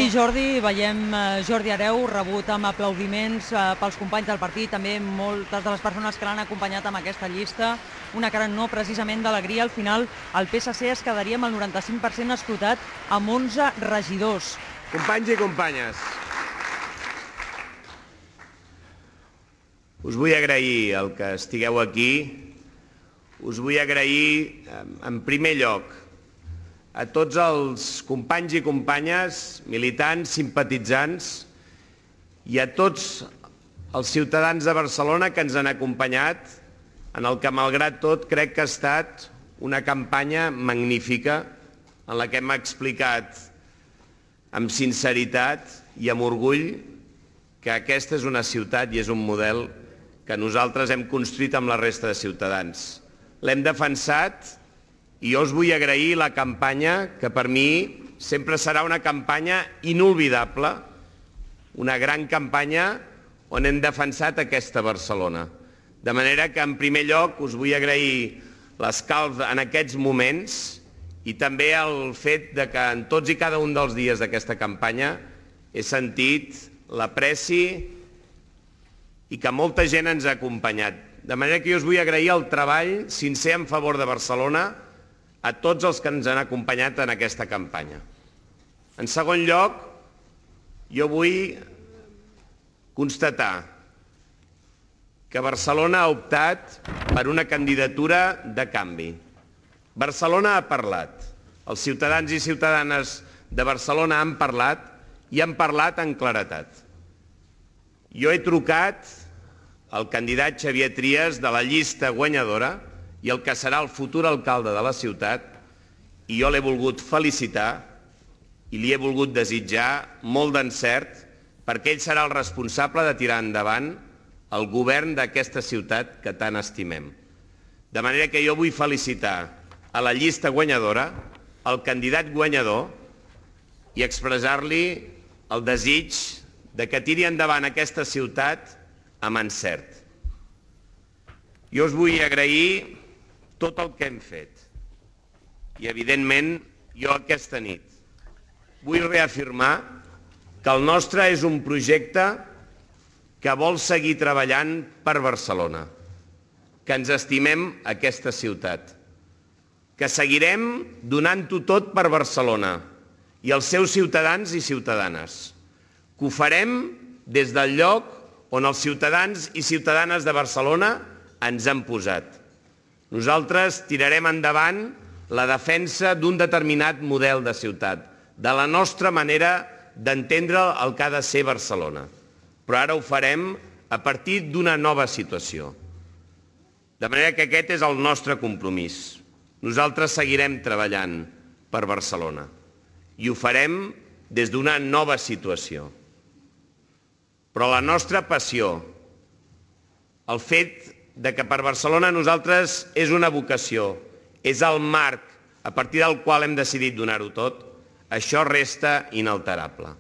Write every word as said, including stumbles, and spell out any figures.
Sí, Jordi, veiem Jordi Hereu rebut amb aplaudiments pels companys del partit, també moltes de les persones que l'han acompanyat amb aquesta llista, una cara no precisament d'alegria. Al final el P S C es quedaria amb el noranta-cinc per cent escrutat amb onze regidors. Companys i companyes, us vull agrair el que estigueu aquí, us vull agrair en primer lloc a tots els companys i companyes, militants, simpatitzants i a tots els ciutadans de Barcelona que ens han acompanyat en el que, malgrat tot, crec que ha estat una campanya magnífica en la que hem explicat amb sinceritat i amb orgull que aquesta és una ciutat i és un model que nosaltres hem construït amb la resta de ciutadans. L'hem defensat i jo us vull agrair la campanya, que per mi sempre serà una campanya inolvidable, una gran campanya on hem defensat aquesta Barcelona. De manera que, en primer lloc, us vull agrair l'escalf en aquests moments i també el fet de que en tots i cada un dels dies d'aquesta campanya he sentit l'apreci i que molta gent ens ha acompanyat. De manera que jo us vull agrair el treball sincer en favor de Barcelona a tots els que ens han acompanyat en aquesta campanya. En segon lloc, jo vull constatar que Barcelona ha optat per una candidatura de canvi. Barcelona ha parlat. Els ciutadans i ciutadanes de Barcelona han parlat i han parlat amb claredat. Jo he trucat al candidat Xavier Trias de la llista guanyadora i el que serà el futur alcalde de la ciutat, i jo l'he volgut felicitar i li he volgut desitjar molt d'encert perquè ell serà el responsable de tirar endavant el govern d'aquesta ciutat que tant estimem. De manera que jo vull felicitar a la llista guanyadora, al candidat guanyador, i expressar-li el desig de que tiri endavant aquesta ciutat amb encert. Jo us vull agrair tot el que hem fet. I, evidentment, jo aquesta nit vull reafirmar que el nostre és un projecte que vol seguir treballant per Barcelona, que ens estimem aquesta ciutat, que seguirem donant-ho tot per Barcelona i els seus ciutadans i ciutadanes, que ho farem des del lloc on els ciutadans i ciutadanes de Barcelona ens han posat. Nosaltres tirarem endavant la defensa d'un determinat model de ciutat, de la nostra manera d'entendre el que ha de ser Barcelona. Però ara ho farem a partir d'una nova situació. De manera que aquest és el nostre compromís. Nosaltres seguirem treballant per Barcelona i ho farem des d'una nova situació. Però la nostra passió, el fet de que per Barcelona nosaltres és una vocació, és el marc a partir del qual hem decidit donar-ho tot, això resta inalterable.